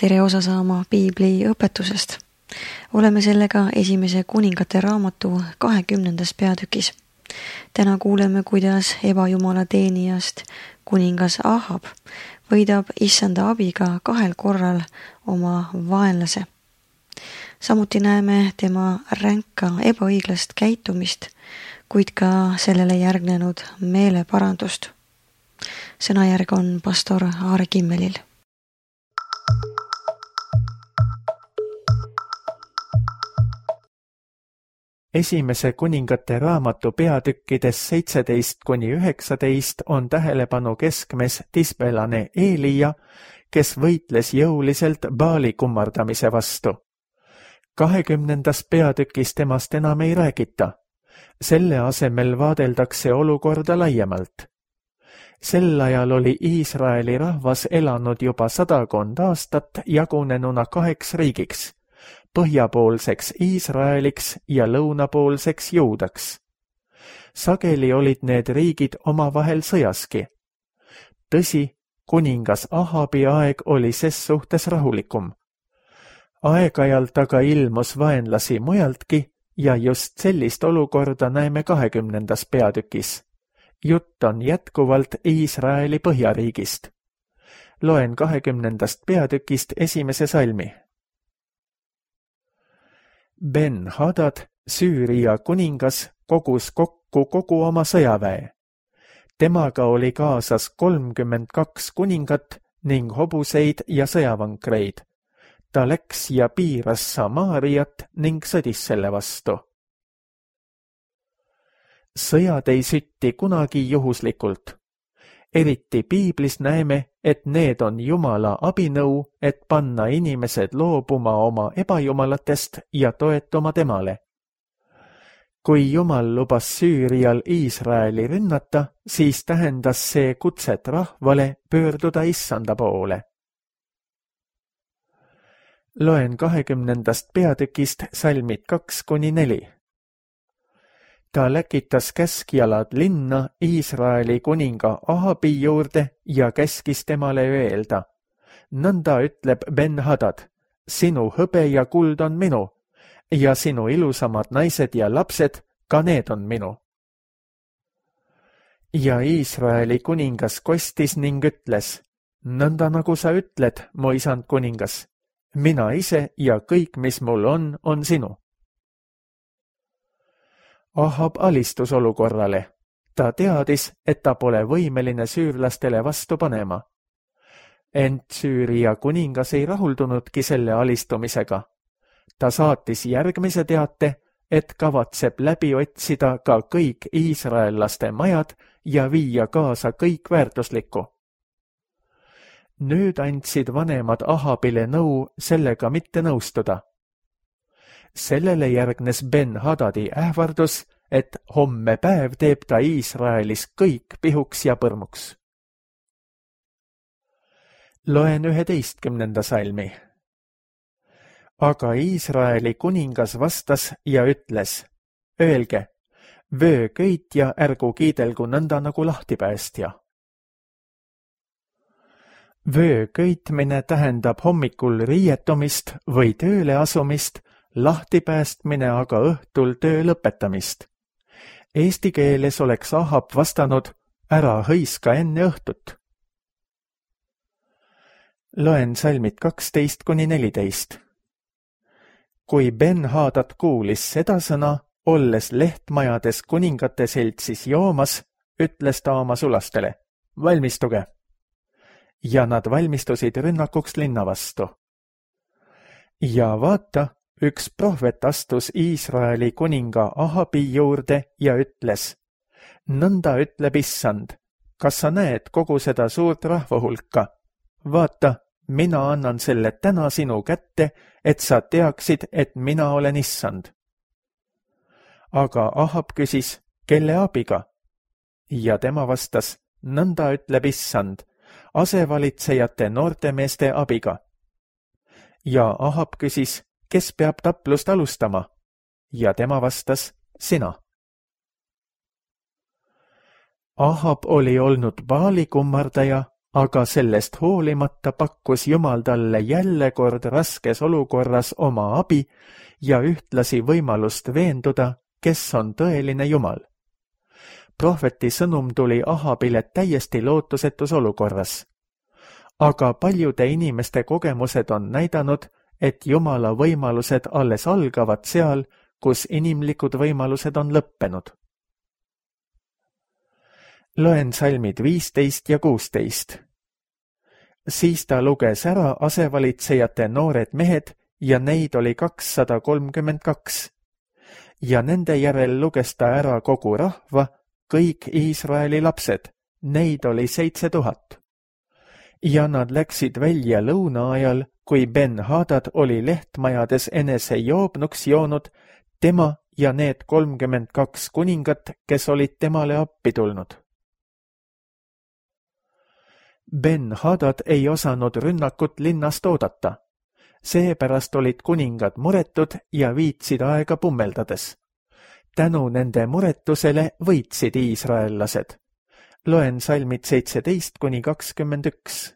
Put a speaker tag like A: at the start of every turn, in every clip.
A: tere osa saama piibli õpetusest. Oleme sellega esimese kuningate raamatu 20. peatükis. Täna kuuleme, kuidas ebajumala teenijast kuningas Ahab võidab issanda abiga 2 korral oma vaenlase. Samuti näeme tema ränka ebaõiglast käitumist, kuid ka sellele järgnenud meeleparandust. Sõnajärg on pastor Aare Kimmelil.
B: Esimese kuningate raamatu peatükkides 17-19 on tähelepanu keskmes tisbelane Eelija, kes võitles jõuliselt Baali kummardamise vastu. 20. peatükis temast enam ei räägita. Selle asemel vaadeldakse olukorda laiemalt. Sel ajal oli Iisraeli rahvas elanud juba 100 aastat jagunenuna 2 riigiks. Põhjapoolseks Iisraeliks ja lõunapoolseks Juudaks. Sageli olid need riigid omavahel sõjaski. Tõsi, kuningas Ahabi aeg oli ses suhtes rahulikum. Aeg-ajalt aga ilmus vaenlasi mujaltki ja just sellist olukorda näeme 20. peatükis. Jutt on jätkuvalt Iisraeli põhjariigist. Loen 20. peatükist esimese salmi. Ben-Hadad, Süüria kuningas, kogus kokku kogu oma sõjaväe. Temaga oli kaasas 32 kuningat ning hobuseid ja sõjavankreid. Ta läks ja piiras Samaariat ning sõdis selle vastu. Sõjad ei sütti kunagi juhuslikult. Eriti piiblis näeme, et need on Jumala abinõu, et panna inimesed loobuma oma ebajumalatest ja toetuma temale. Kui Jumal lubas Süürial Iisraeli rünnata, siis tähendas see kutset rahvale pöörduda issanda poole. Loen 20. peatükist salmid 2-4. Ta läkitas käskjalad linna Iisraeli kuninga Ahabi juurde ja käskis temale öelda. Nõnda ütleb Ben-Hadad, sinu hõbe ja kuld on minu ja sinu ilusamad naised ja lapsed, ka need on minu. Ja Iisraeli kuningas kostis ning ütles, nõnda nagu sa ütled, mu isand kuningas, mina ise ja kõik, mis mul on sinu. Ahab alistus olukorrale. Ta teadis, et ta pole võimeline süürlastele vastu panema. Ent Süüria kuningas ei rahuldunudki selle alistumisega. Ta saatis järgmise teate, et kavatseb läbi otsida ka kõik iisraellaste majad ja viia kaasa kõik väärtuslikku. Nüüd andsid vanemad Ahabile nõu sellega mitte nõustuda. Sellele järgnes Ben-Hadadi ähvardus, et homme päev teeb ta Iisraelis kõik pihuks ja põrmuks. Loen 11. salmi. Aga Iisraeli kuningas vastas ja ütles, öelge, vöököitja ärgu kiidelgu nõnda nagu lahtipäästja. Vöököitmine tähendab hommikul riietumist või tööle asumist, lahtipäästmine aga õhtul töö lõpetamist. Eesti keeles oleks Ahab vastanud, ära hõiska enne õhtut. Loen salmid 12-14. Kui Ben-Hadad kuulis seda sõna, olles lehtmajades kuningate seltsis joomas, ütles ta oma sulastele, valmistuge. Ja nad valmistusid rünnakuks linna vastu. Ja vaata, üks prohvet astus Iisraeli kuninga Ahabi juurde ja ütles, nõnda ütleb issand, kas sa näed kogu seda suurt rahvahulka? Vaata, mina annan selle täna sinu kätte, et sa teaksid, et mina olen issand. Aga Ahab küsis, kelle abiga? Ja tema vastas, nõnda ütleb issand, asevalitsejate noortemeeste abiga. Ja Ahab küsis, kes peab taplust alustama? Ja tema vastas, sina. Ahab oli olnud Baali kummardaja aga sellest hoolimata pakkus Jumal talle jälle kord raskes olukorras oma abi ja ühtlasi võimalust veenduda, kes on tõeline Jumal. Prohveti sõnum tuli Ahabile täiesti lootusetus olukorras. Aga paljude inimeste kogemused on näidanud, et Jumala võimalused alles algavad seal, kus inimlikud võimalused on lõppenud. Loen salmid 15 ja 16. Siis ta luges ära asevalitsejate noored mehed ja neid oli 232. Ja nende järel luges ta ära kogu rahva, kõik Iisraeli lapsed, neid oli 7000. Ja nad läksid välja lõuna ajal, kui Ben-Hadad oli lehtmajades enese joobnuks joonud, tema ja need 32 kuningat, kes olid temale appi tulnud. Ben-Hadad ei osanud rünnakut linnast oodata. Seepärast olid kuningad muretud ja viitsid aega pummeldades. Tänu nende muretusele võitsid iisraellased. Loen salmid 17–21.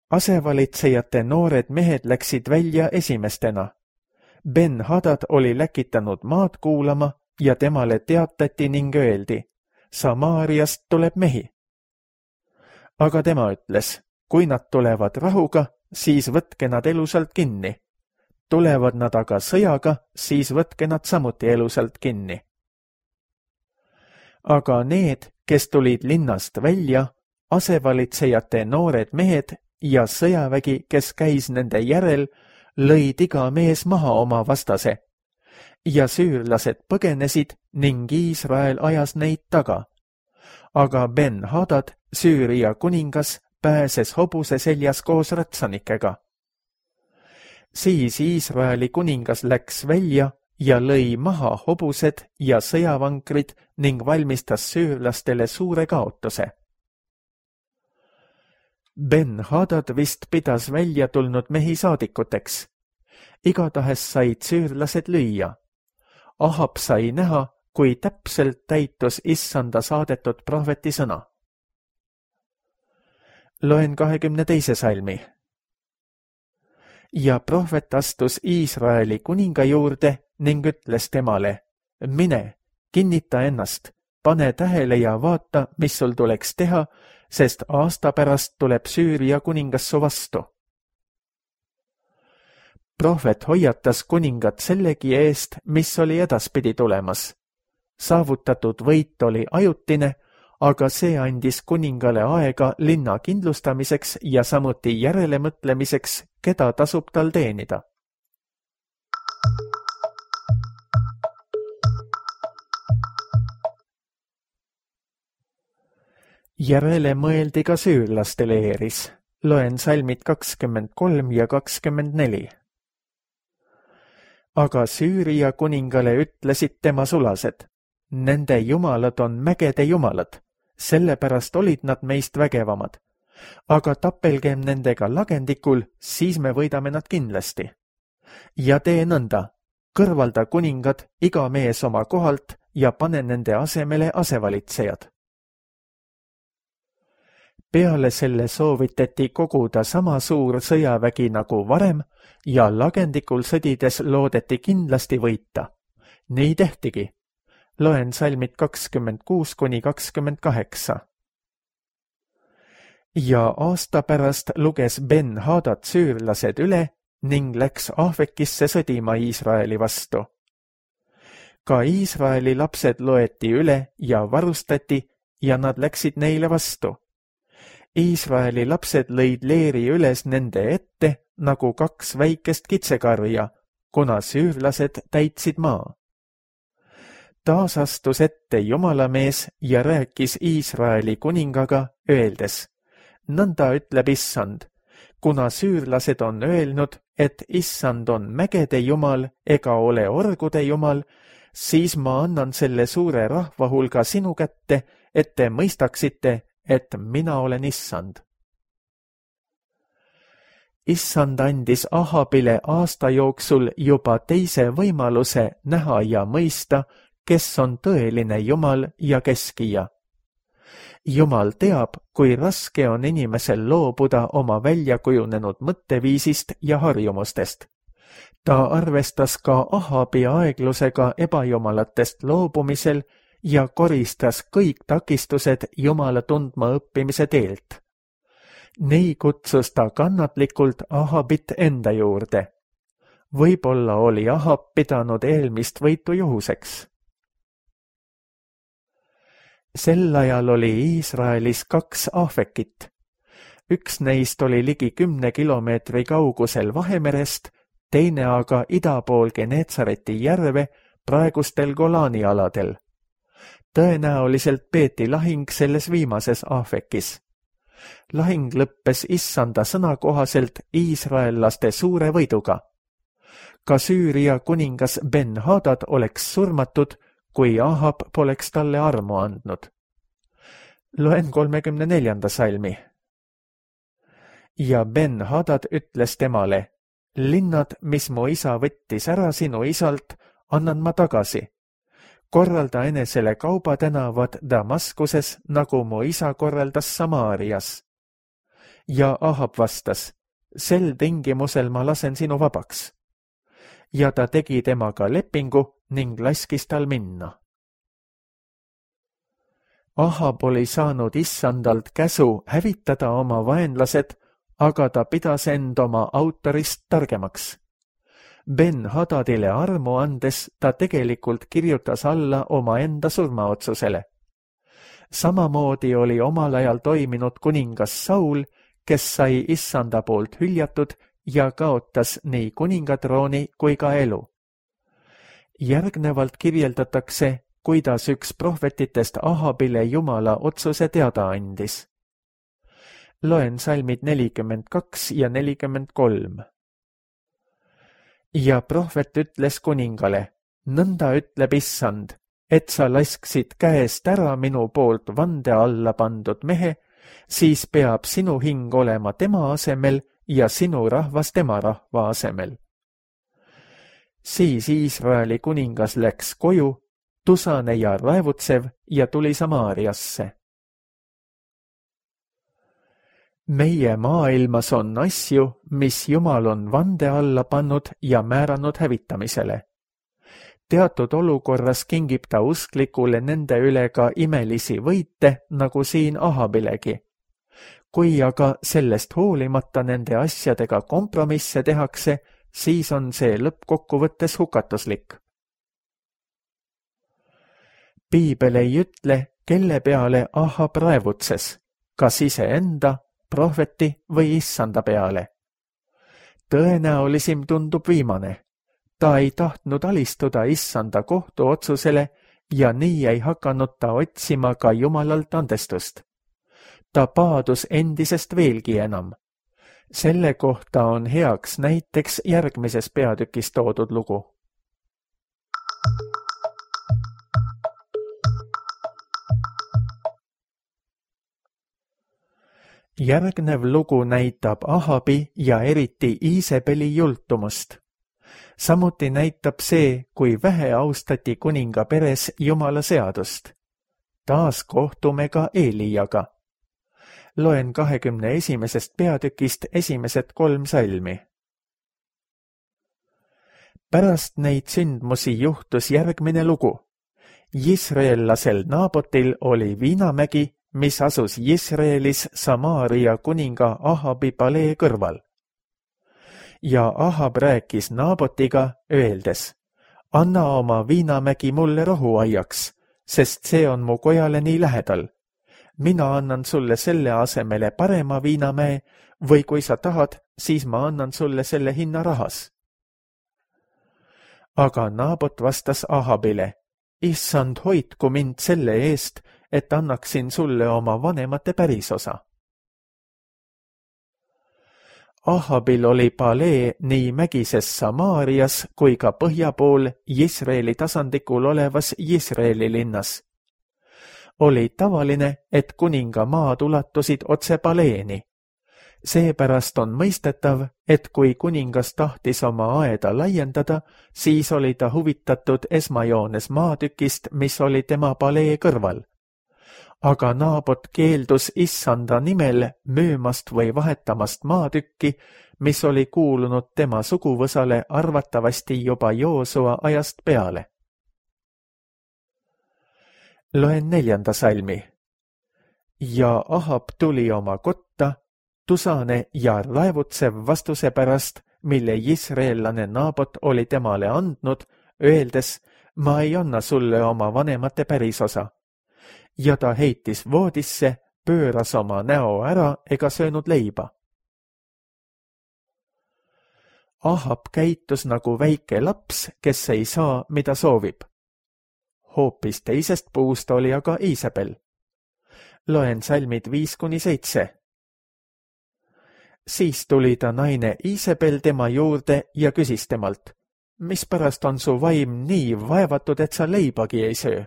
B: Asevalitsejate noored mehed läksid välja esimestena. Ben-Hadad oli läkitanud maad kuulama ja temale teatati ning öeldi, Samaariast tuleb mehi. Aga tema ütles, kui nad tulevad rahuga, siis võtke nad elusalt kinni. Tulevad nad aga sõjaga, siis võtke nad samuti elusalt kinni. Aga need, kes tulid linnast välja, asevalitsejate noored mehed ja sõjavägi, kes käis nende järel, lõid iga mees maha oma vastase. Ja süürlased põgenesid ning Iisrael ajas neid taga. Aga Ben-Hadad, Süüria kuningas, pääses hobuse seljas koos ratsanikega. Siis Iisraeli kuningas läks välja ja lõi maha hobused ja sõjavankrid ning valmistas süürlastele suure kaotuse. Ben-Hadad vist pidas välja tulnud mehi saadikuteks. Igatahes said süürlased lüüa. Ahab sai näha, kui täpselt täitus issanda saadetud prohveti sõna. Loen 22. salmi. Ja prohvet astus Iisraeli kuninga juurde ning ütles temale, mine, kinnita ennast, pane tähele ja vaata, mis sul tuleks teha, sest aasta pärast tuleb Süüria kuningas su vastu. Prohvet hoiatas kuningat sellegi eest, mis oli edaspidi tulemas. Saavutatud võit oli ajutine, aga see andis kuningale aega linna kindlustamiseks ja samuti järelemõtlemiseks, keda tasub tal teenida. Järele mõeldi ka süürlaste leeris. Loen salmid 23 ja 24. Aga Süüria kuningale ütlesid tema sulased, nende jumalad on mägede jumalad, sellepärast olid nad meist vägevamad. Aga tapelgem nendega lagendikul, siis me võidame nad kindlasti. Ja tee nõnda, kõrvalda kuningad, iga mees oma kohalt ja pane nende asemele asevalitsejad. Peale selle soovitati koguda sama suur sõjavägi nagu varem ja lagendikul sõdides loodeti kindlasti võita. Nii tehtigi. Loen salmid 26–28. Ja aasta pärast luges Ben-Hadad süürlased üle ning läks Ahvekisse sõdima Iisraeli vastu. Ka Iisraeli lapsed loeti üle ja varustati ja nad läksid neile vastu. Iisraeli lapsed lõid leeri üles nende ette nagu 2 väikest kitsekarja, kuna süürlased täitsid maa. Taas astus ette Jumalamees ja rääkis Iisraeli kuningaga, öeldes, nõnda ütleb issand, kuna süürlased on öelnud, et issand on mägede jumal ega ole orgude jumal, siis ma annan selle suure rahva hulga sinu kätte, et te mõistaksite, et mina olen issand. Issand andis Ahabile aasta jooksul juba teise võimaluse näha ja mõista, kes on tõeline Jumal ja keskija. Jumal teab, kui raske on inimesel loobuda oma väljakujunenud mõtteviisist ja harjumustest. Ta arvestas ka Ahabi aeglusega ebajumalatest loobumisel ja koristas kõik takistused Jumala tundma õppimise teelt. Nii kutsus ta kannatlikult Ahabit enda juurde. Võib-olla oli Ahab pidanud eelmist võitu juhuseks. Sel ajal oli Iisraelis 2 Afekit. Üks neist oli ligi 10 kilomeetri kaugusel Vahemerest, teine aga ida pool Genetsareti järve praegustel Golani aladel. Tõenäoliselt peeti lahing selles viimases Afekis. Lahing lõppes Issanda sõna kohaselt iisraellaste suure võiduga. Ka Süüria kuningas Ben-Hadad oleks surmatud, kui Ahab poleks talle armu andnud. Loen 34. salmi. Ja Ben-Hadad ütles temale, linnad, mis mu isa võttis ära sinu isalt, annan ma tagasi. Korralda enesele kaubatänavad Damaskuses, nagu mu isa korraldas Samaarias. Ja Ahab vastas, sel tingimusel ma lasen sinu vabaks. Ja ta tegi temaga lepingu ning laskis tal minna. Ahab oli saanud Issandalt käsu hävitada oma vaenlased, aga ta pidas end oma autorist targemaks. Ben-Hadadile armu andes ta tegelikult kirjutas alla oma enda surmaotsusele. Samamoodi oli omal ajal toiminud kuningas Saul, kes sai Issanda poolt hüljatud ja kaotas nii kuningatrooni kui ka elu. Järgnevalt kirjeldatakse, kuidas üks prohvetitest Ahabile Jumala otsuse teada andis. Loen salmid 42 ja 43. Ja prohvet ütles kuningale, nõnda ütleb Issand, et sa lasksid käest ära minu poolt vande alla pandud mehe, siis peab sinu hing olema tema asemel ja sinu rahvas tema rahva asemel. Siis Iisraeli kuningas läks koju, tusane ja raevutsev ja tuli Samaariasse. Meie maailmas on asju, mis Jumal on vande alla pannud ja määranud hävitamisele. Teatud olukorras kingib ta usklikule nende üle ka imelisi võite, nagu siin Ahabilegi. Kui aga sellest hoolimata nende asjadega kompromisse tehakse, siis on see lõppkokkuvõttes hukatuslik. Piibel ei ütle, kelle peale Ahab raevutses, kas iseenda, prohveti või Issanda peale. Tõenäolisim tundub viimane. Ta ei tahtnud alistuda Issanda kohtuotsusele ja nii ei hakanud ta otsima ka Jumalalt andestust. Ta paadus endisest veelgi enam. Selle kohta on heaks näiteks järgmises peatükis toodud lugu. Järgnev lugu näitab Ahabi ja eriti Iisebeli jultumust. Samuti näitab see, kui vähe austati kuninga peres Jumala seadust. Taas kohtume ka Eelijaga. Loen 21. peatükist esimesed 3 salmi. Pärast neid sündmusi juhtus järgmine lugu. Jisraellasel Naabotil oli viinamägi, mis asus Jisraelis Samaaria kuninga Ahabi palee kõrval. Ja Ahab rääkis Naabotiga, öeldes, anna oma viinamägi mulle rohuaiaks, sest see on mu kojale nii lähedal. Mina annan sulle selle asemele parema viinamäe või kui sa tahad, siis ma annan sulle selle hinna rahas. Aga Naabot vastas Ahabile, issand, hoidku mind selle eest, et annaksin sulle oma vanemate pärisosa. Ahabil oli palee nii mägises Samaarias kui ka põhja pool Jisraeli tasandikul olevas Jisraeli linnas. Oli tavaline, et kuninga maad ulatusid otse paleeni. Seepärast on mõistetav, et kui kuningas tahtis oma aeda laiendada, siis oli ta huvitatud esmajoones maatükist, mis oli tema palee kõrval. aga Naabot keeldus issanda nimel müümast või vahetamast maatükki, mis oli kuulunud tema suguvõsale arvatavasti juba Joosua ajast peale. Loen 4. salmi. Ja Ahab tuli oma kotta, tusane ja raevutsev vastuse pärast, mille Jisraellane Naabot oli temale andnud, öeldes, ma ei anna sulle oma vanemate pärisosa. Ja ta heitis voodisse, pööras oma näo ära ega söönud leiba. Ahab käitus nagu väike laps, kes ei saa, mida soovib. Hoopis teisest puust oli aga Iisabel. Loen salmid 5-7. Siis tuli ta naine Iisabel tema juurde ja küsis temalt, mispärast on su vaim nii vaevatud, et sa leibagi ei söö?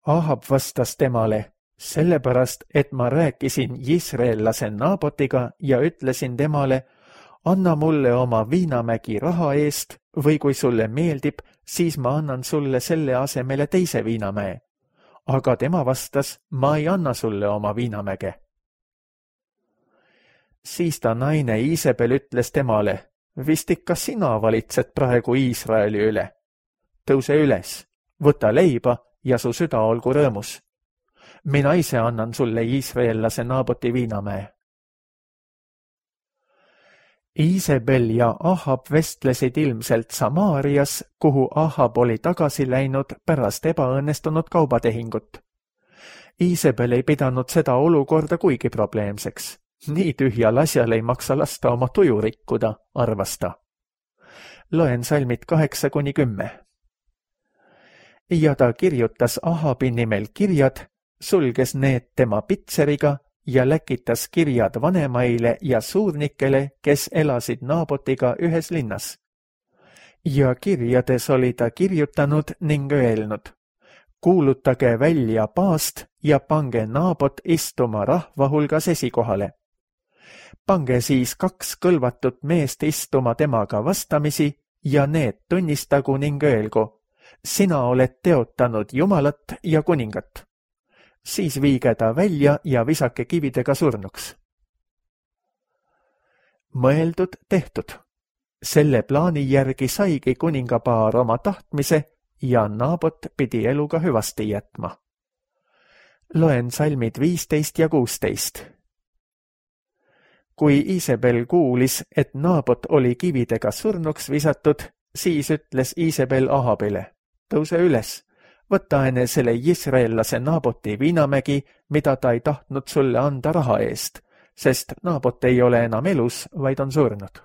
B: Ahab vastas temale, sellepärast, et ma rääkisin Jisraellase Naabotiga ja ütlesin temale, anna mulle oma viinamägi raha eest või kui sulle meeldib, siis ma annan sulle selle asemele teise viinamäe. Aga tema vastas, ma ei anna sulle oma viinamäge. Siis ta naine Iisabel ütles temale, vist ikka sina valitsed praegu Iisraeli üle. Tõuse üles, võta leiba ja su süda olgu rõõmus. Mina ise annan sulle Iisraellase Naaboti viinamäe. Iisabel ja Ahab vestlesid ilmselt Samaarias, kuhu Ahab oli tagasi läinud pärast ebaõnnestunud kaubatehingut. Iisabel ei pidanud seda olukorda kuigi probleemseks. Nii tühjal asjal ei maksa lasta oma tuju rikkuda, arvas ta. Loen salmid 8-10. Ja ta kirjutas Ahabi nimel kirjad, sulges need tema pitseriga ja läkitas kirjad vanemaile ja suurnikele, kes elasid Naabotiga ühes linnas. Ja kirjades oli ta kirjutanud ning öelnud, kuulutage välja paast ja pange Naabot istuma rahva hulgas esikohale. Pange siis 2 kõlvatut meest istuma temaga vastamisi ja need tunnistagu ning öelgu, sina oled teotanud Jumalat ja kuningat. Siis viige ta välja ja visake kividega surnuks. Mõeldud tehtud. Selle plaani järgi saigi kuningapaar oma tahtmise ja Naabot pidi eluga hüvasti jätma. Loen salmid 15 ja 16. Kui Iisabel kuulis, et Naabot oli kividega surnuks visatud, siis ütles Iisabel Ahabile, tõuse üles, võta enesele Jisraellase Naaboti viinamägi, mida ta ei tahtnud sulle anda raha eest, sest Naabot ei ole enam elus, vaid on surnud.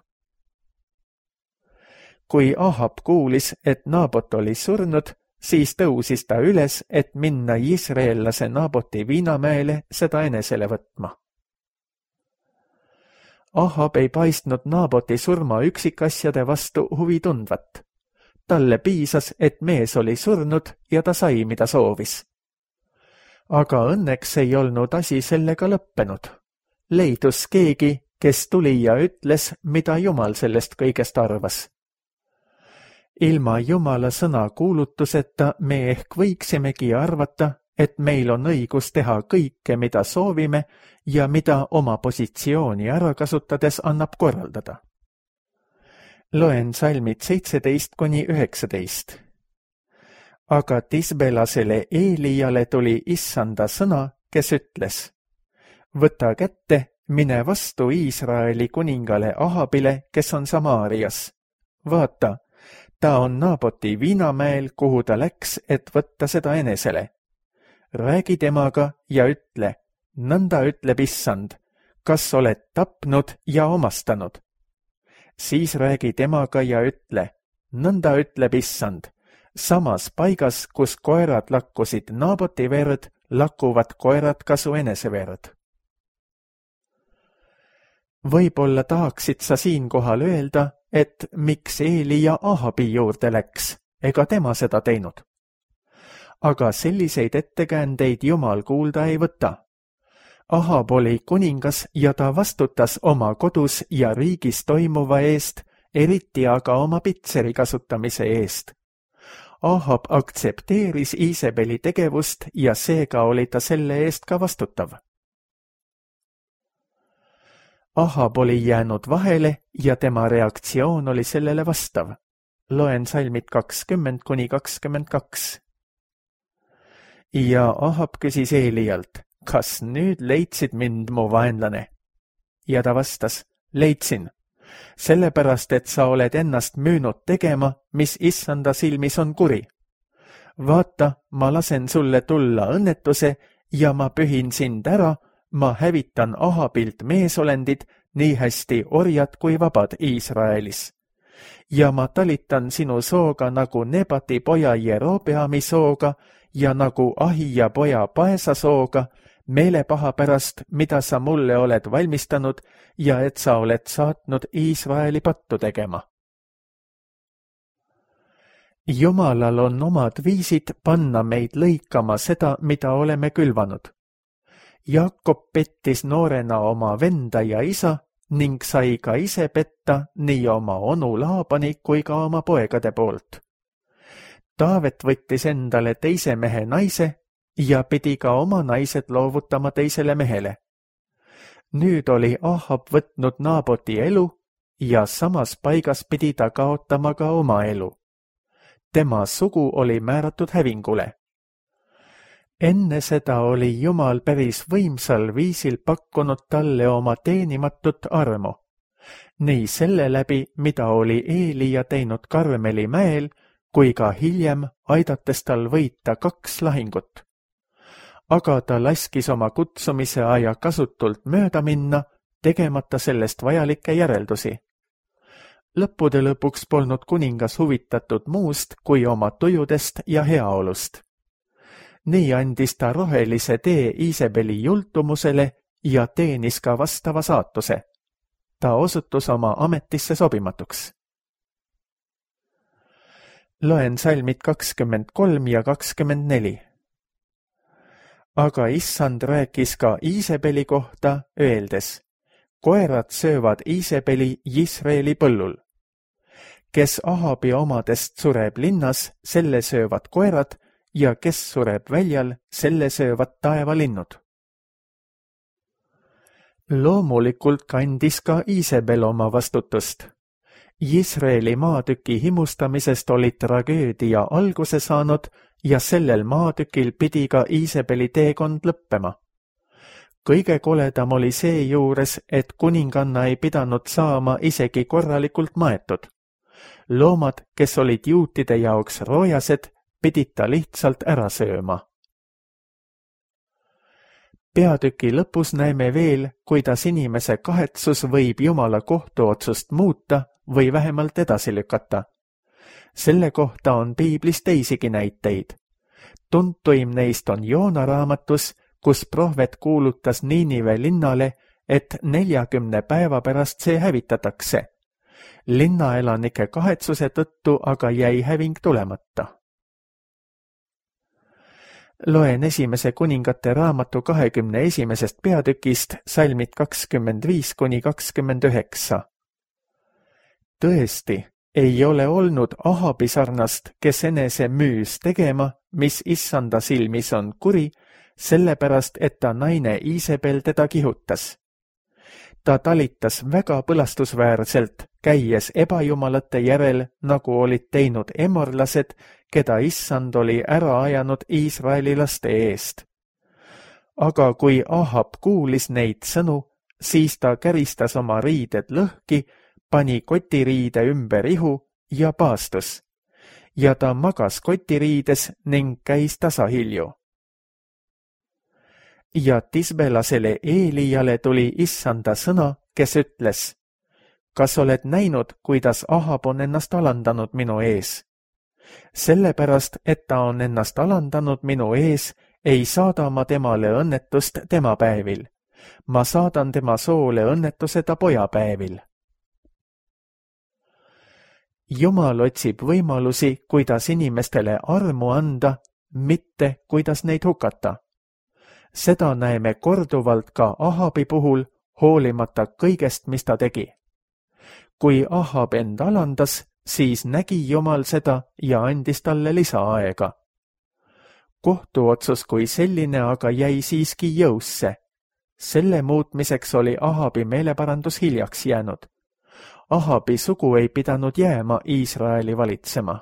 B: Kui Ahab kuulis, et Naabot oli surnud, siis tõusis ta üles, et minna Jisraellase Naaboti viinamäele seda enesele võtma. Ahab ei paistnud Naaboti surma üksikasjade vastu huvi tundvat. Talle piisas, et mees oli surnud ja ta sai, mida soovis. Aga õnneks ei olnud asi sellega lõppenud. Leidus keegi, kes tuli ja ütles, mida Jumal sellest kõigest arvas. Ilma Jumala sõna kuulutuseta me ehk võiksimegi arvata, et meil on õigus teha kõike, mida soovime ja mida oma positsiooni ära kasutades annab korraldada. Loen salmid 17-19. Aga Tisbelasele Eelijale tuli issanda sõna, kes ütles, võta kätte, mine vastu Iisraeli kuningale Ahabile, kes on Samaarias. Vaata, ta on Naaboti viinamäel, kuhu ta läks, et võtta seda enesele. Räägi temaga ja ütle, nõnda ütleb issand, kas oled tapnud ja omastanud. Siis räägi temaga ja ütle, nõnda ütleb issand, samas paigas, kus koerad lakkusid Naaboti verd, lakkuvad koerad ka su enese verd. Võib-olla tahaksid sa siinkohal öelda, et miks Eelija Ahabi juurde läks, ega tema seda teinud. Aga selliseid ettekäändeid Jumal kuulda ei võta. Ahab oli kuningas ja ta vastutas oma kodus ja riigis toimuva eest, eriti aga oma pitseri kasutamise eest. Ahab aktsepteeris Iisabeli tegevust ja seega oli ta selle eest ka vastutav. Ahab oli jäänud vahele ja tema reaktsioon oli sellele vastav. Loen salmid 20–22. Ja Ahab küsis Eelijalt, kas nüüd leidsid mind, mu vaenlane? Ja ta vastas, leidsin, sellepärast, et sa oled ennast müünud tegema, mis issanda silmis on kuri. Vaata, ma lasen sulle tulla õnnetuse ja ma pühin sind ära, ma hävitan Ahabilt meesolendid, nii hästi orjad kui vabad Iisraelis. Ja ma talitan sinu sooga nagu Nebati poja Jerobeami sooga ja nagu Ahija poja Paesa sooga, meelepaha pärast, mida sa mulle oled valmistanud ja et sa oled saatnud Iisraeli pattu tegema. Jumalal on omad viisid panna meid lõikama seda, mida oleme külvanud. Jakob pettis noorena oma venda ja isa ning sai ka ise petta nii oma onu Laabani kui ka oma poegade poolt. Taavet võttis endale teise mehe naise ja pidi ka oma naised loovutama teisele mehele. Nüüd oli Ahab võtnud Naaboti elu ja samas paigas pidi ta kaotama ka oma elu. Tema sugu oli määratud hävingule. Enne seda oli Jumal päris võimsal viisil pakkunud talle oma teenimatut armu. Nii selle läbi, mida oli Eelija teinud Karmeli mäel, kui ka hiljem aidates tal võita 2 lahingut. Aga ta laskis oma kutsumise aja kasutult mööda minna, tegemata sellest vajalikke järeldusi. Lõppude lõpuks polnud kuningas huvitatud muust kui oma tujudest ja heaolust. Nii andis ta rohelise tee Iisabeli jultumusele ja teenis ka vastava saatuse. Ta osutus oma ametisse sobimatuks. Loen salmid 23 ja 24. Aga issand rääkis ka Iisabeli kohta, öeldes, koerad söövad Iisabeli Jisraeli põllul. Kes Ahabi omadest sureb linnas, selle söövad koerad, ja kes sureb väljal, selle söövad taevalinnud. Loomulikult kandis ka Iisabel oma vastutust. Jisraeli maatüki himustamisest oli tragöödia alguse saanud ja sellel maatükil pidi ka Iisabeli teekond lõppema. Kõige koledam oli seejuures, et kuninganna ei pidanud saama isegi korralikult maetud. Loomad, kes olid juutide jaoks roojased, pidid ta lihtsalt ära sööma. Peatüki lõpus näeme veel, kuidas inimese kahetsus võib Jumala kohtuotsust muuta või vähemalt edasi lükata. Selle kohta on piiblis teisigi näiteid. Tuntuim neist on Joona raamatus, kus prohvet kuulutas Niinive linnale, et 40 päeva pärast see hävitatakse. Linnaelanike kahetsuse tõttu aga jäi häving tulemata. Loen esimese kuningate raamatu 21. peatükist salmid 25–29. Tõesti, ei ole olnud Ahabi sarnast, kes enese müüs tegema, mis issanda silmis on kuri, sellepärast, et ta naine Iisabel teda kihutas. Ta talitas väga põlastusväärselt, käies ebajumalate järel, nagu olid teinud emorlased, keda issand oli ära ajanud Iisraeli laste eest. Aga kui Ahab kuulis neid sõnu, siis ta käristas oma riided lõhki, pani kotiriide ümber ihu ja paastus. Ja ta magas kotiriides ning käis tasahilju. Ja Tisbelasele Eelijale tuli issanda sõna, kes ütles, kas oled näinud, kuidas Ahab on ennast alandanud minu ees? Sellepärast, et ta on ennast alandanud minu ees, ei saada ma temale õnnetust tema päevil. Ma saadan tema soole õnnetuse ta pojapäevil. Jumal otsib võimalusi, kuidas inimestele armu anda, mitte kuidas neid hukata. Seda näeme korduvalt ka Ahabi puhul, hoolimata kõigest, mis ta tegi. Kui Ahab end alandas, siis nägi Jumal seda ja andis talle lisaaega. Kohtuotsus kui selline aga jäi siiski jõusse. Selle muutmiseks oli Ahabi meeleparandus hiljaks jäänud. Ahabi sugu ei pidanud jääma Iisraeli valitsema.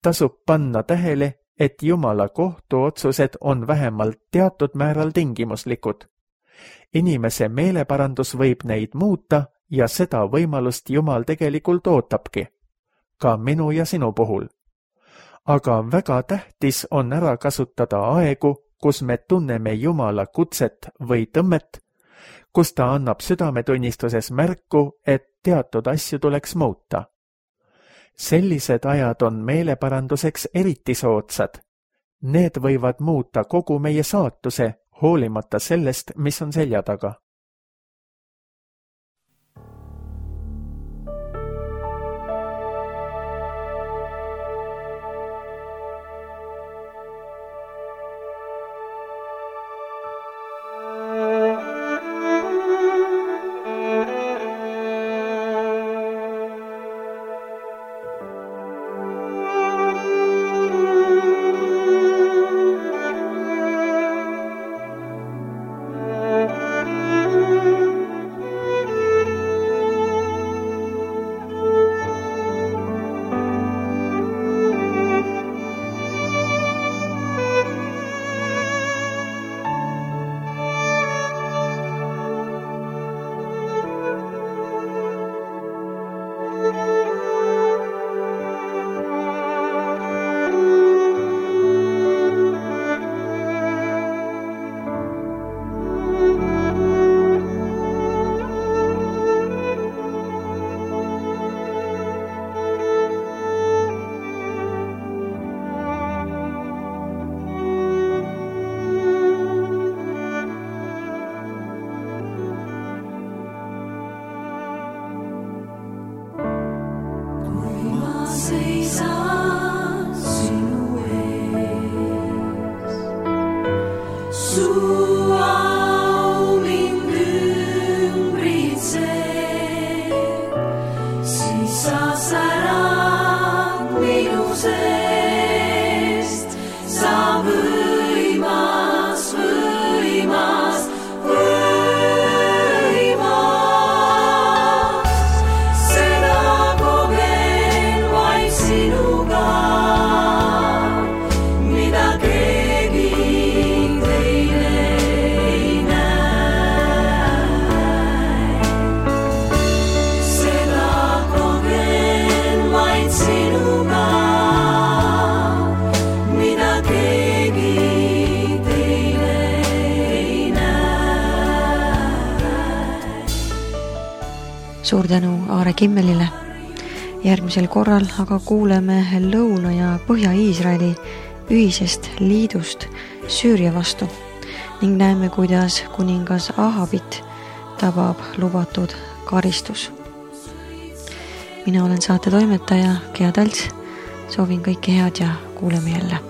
B: Tasub panna tähele, et Jumala kohtuotsused on vähemalt teatud määral tingimuslikud. Inimese meeleparandus võib neid muuta ja seda võimalust Jumal tegelikult ootabki, ka minu ja sinu puhul. Aga väga tähtis on ära kasutada aegu, kus me tunneme Jumala kutset või tõmmet, kus ta annab südametunnistuses märku, et teatud asju tuleks muuta. Sellised ajad on meeleparanduseks eriti soodsad. Need võivad muuta kogu meie saatuse, hoolimata sellest, mis on selja taga.
A: Suur tänu Aare Kimmelile. Järgmisel korral aga kuuleme Lõuna- ja Põhja-Iisraeli ühisest liidust Süüria vastu ning näeme, kuidas kuningas Ahabit tabab lubatud karistus. Mina olen saate toimetaja Gea Talts. Soovin kõike head ja kuuleme jälle.